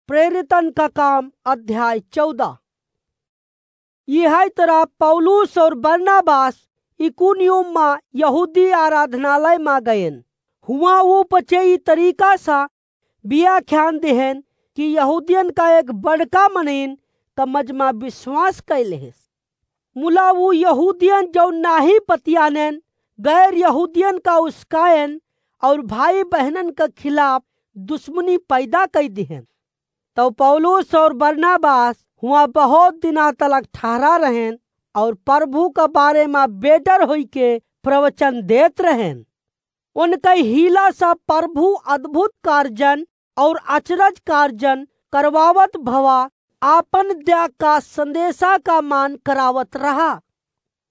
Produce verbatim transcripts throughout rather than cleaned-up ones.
प्रेरितन का काम, अध्याय चौदह। यही तरह पौलुस और बरनबास इकुनियुम मा यहूदी आराधनालय मा गयन। हुआँ ऊ पचे ई तरीका सा व्याख्यान देहन कि यहूदियन का एक बड़का मनइन का मजमा विश्वास कइ लेहेस। मुला ऊ यहूदियन जौन नाहीं पतियानेन, गैर यहूदियन का उस्कायन और भाई बहनन का खिलाफ दुश्मनी पैदा कइ दिहेन। तौ पौलुस और बरनबास हुआँ बहुत दिना तलक ठहरा रहेन और प्रभु का बारे मा बेडर होइके प्रवचन देत रहेन। उनकै हीला सा प्रभु अद्भुत कार्जन और अचरज कार्जन करवावत भवा आपन दया का संदेशा का मान करावत रहा।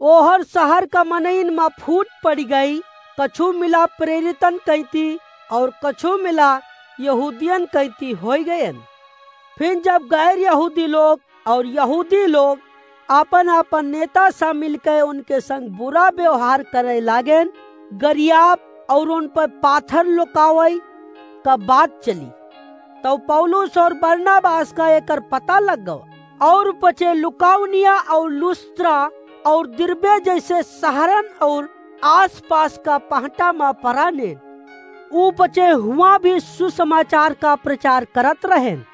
ओहर शहर का मनइन मा फूट पड़ि गई, कछु मिला प्रेरितन कैती और कछु मिला यहूदियन कैती होइ गयन। फिर जब गैर यहूदी लोग और यहूदी लोग आपन आपन नेता सा मिलके उनके संग बुरा व्यवहार करे लागेन, गरियाब और उन पर पाथर लुकावई का बात चली, तौ पौलुस और बरनबास का एकर पता लग गवा। और पचे लुकाउनिया और लुस्त्रा और दिरबे जैसे शहरन और आसपास का पहटा मा परानेन। ऊ पचे हुआँ भी सुसमाचार का प्रचार करत रहेन।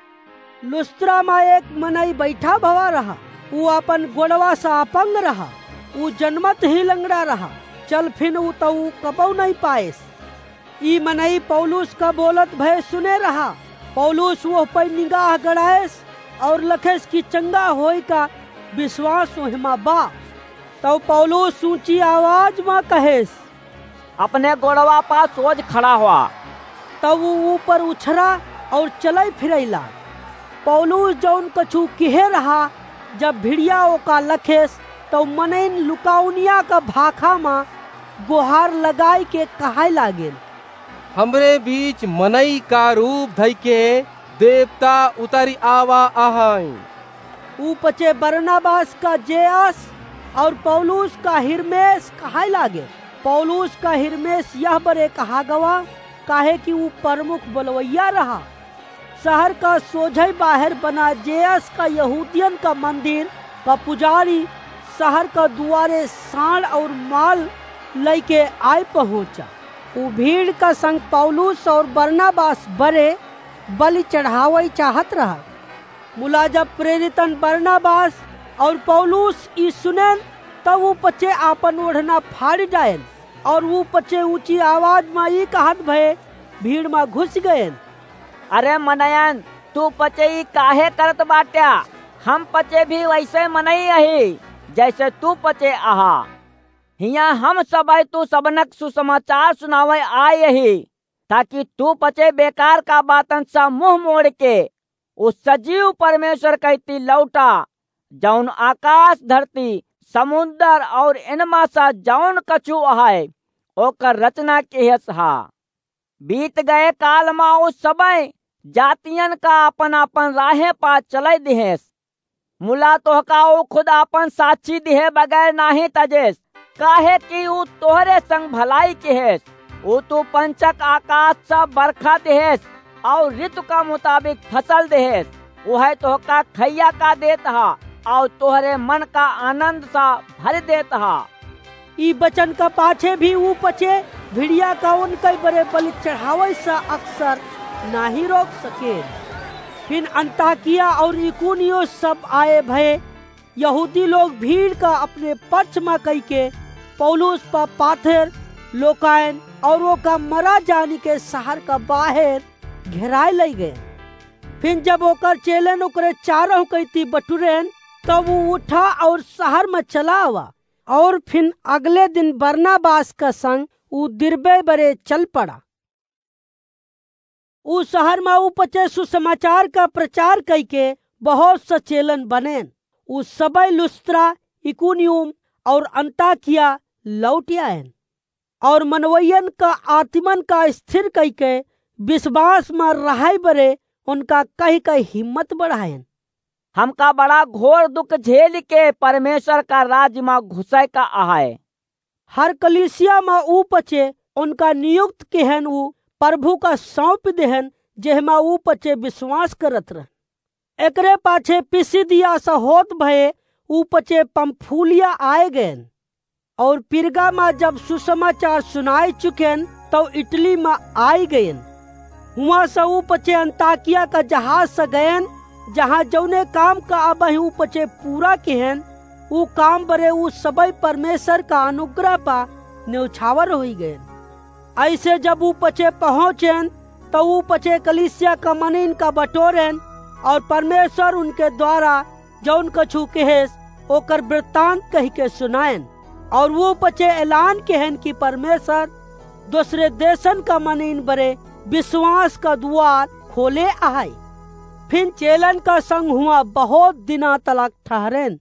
लुस्त्रा मा एक मनई बैठा भवा रहा, ऊ आपन गोड़वा सा अपंग रहा, ऊ जनमत ही लंगड़ा रहा, चल फिन ऊ तौ कबौ नहीं पाएस। ई मनई पौलुस का बोलत भय सुने रहा। पौलुस वोह पै निगाह गड़ाएस और लखेस कि चंगा होय का विश्वास ओहमा बा। तौ पौलुस ऊँची आवाज मा कहेस, "अपने गोड़वा पा सोझ खड़ा हुआ।" तौ ऊ ऊपर उछरा और चलै फिरै लाग। पौलुस जौन कछु किहे रहा, जब भिड़िया ओका लखेस, तौ मनइन लुकाउनिया का भाखा मा गोहार लगाइके कहाय लागेन, "हमरे बीच मनई का रूप धइके देवता उतरि आवा अहइँ।" ऊ पचे बरनबास का जेअस और पौलुस का हिरमेस कहाय लागे। पौलुस का हिरमेस यह बरे कहा गवा, काहे कि ऊ प्रमुख बोलवैया रहा। शहर का सोझै बाहेर बना जेअस का यहूदियन का मंदिर का पुजारी शहर का दुआरे साँड़ और माल लइके आय पहुँचा। ऊ भीड़ का संग पौलुस और बरनबास बरे बलि चढ़ावै चाहत रहा। मुला जब प्रेरितन बरनबास और पौलुस ई सुनेन, तब ऊ पचे आपन ओढ़ना फाड़ि डाएन और ऊ पचे ऊँची आवाज मा ई कहत भए भीड़ मा घुसि गएन, "अरे मनयन, तू पचे ई काहे करत बाट्या? हम पचे भी वैसे मनई अही, जैसे तू पचे अहा। हियाँ हम सबै तू सबनक सुसमाचार सुनावै आय अही, ताकि तू पचे बेकार का बातन सा मुँह मोड़िके ऊ सजीव परमेश्वर कैती लौटा, जौन आकास, धरती, समुंदर और इनमा सा जौन कछु अहै, ओकर रचना किहेस हा। बीत गए काल मा ऊ सबै जातियन का आपन आपन राहे पा चलै दिहेस। मुला तोहका ऊ खुद आपन साक्षी दिहे बगैर नाहीं तजेस, काहे कि ऊ तोहरे संग भलाई किहेस। ऊ तू पंचक आकास सा बरखा दिहेस और ऋतु का मुताबिक फसल दिहेस। उहै तोहका खइया का देत हा और तोहरे मन का आनंद सा भरि देत हा।" ई बचन का पाछे भी ऊ पचे भिड़िया का उनकै बरे बलि चढ़ावै सा अक्सर नाहीं रोक सकेन। फिन अंताकिया और इकुनियो सब आए भए यहूदी लोग भीड़ का अपने पक्ष मा कइके पौलुस पा पाथर लोकायन और ओका मरा जानिके शहर का बाहेर घेराय लइ गए। फिन जब ओकर चेलन ओकरे चारहु कैती बटुरेन, तब ऊ उठा और शहर मा चला आवा। और फिन अगले दिन बरनबास का संग ऊ दिरबे बरे चल पड़ा। ऊ शहर मा ऊ पचे सुसमाचार का प्रचार कइके बहुत सा चेलन बनेन। ऊ सबै लुस्त्रा, इकुनियुम और अंताकिया लौटि आएन और मनवैयन का आत्मन का स्थिर कइके विश्वास मा रहै बरे उनका कहि कहि हिम्मत बढ़ाएन। "हमका बड़ा घोर दुख झेलिके परमेश्वर का राज मा घुसै का अहै।" हर कलीसिया मा ऊ पचे उनका नियुक्त किहेन ऊ प्रभु का सौंप देहेन, जेहमा ऊ पचे विश्वास करत रहन। एकरे पाछे पिसिदिया से होत भये ऊ पचे पंफूलिया आए गएन, और पिरगा मा जब सुसमाचार सुनाए चुकेन, तब इटली मा आई गएन। हुआं से ऊ पचे अंताकिया का जहाज से गएन, जहां जौने काम का अबहीं ऊ पचे पूरा किहेन, ऊ काम बरे ऊ सबई परमेश्वर का अनुग्रह पा न्यौछावर होई गएन। ऐसे जब ऊ पचे पहुंचेन, तो ऊ पचे कलीसिया का मनीन का बटोरेन, और परमेश्वर उनके द्वारा जौन कछु कहेस, ओकर वृत्तांत कहि के सुनाएन। और ऊ पचे ऐलान कहेन कि परमेश्वर दूसरे देशन का मनीन बरे विश्वास का द्वार खोले आहाय। फिर चेलन का संग हुआं बहुत दिना तलक ठहरेन।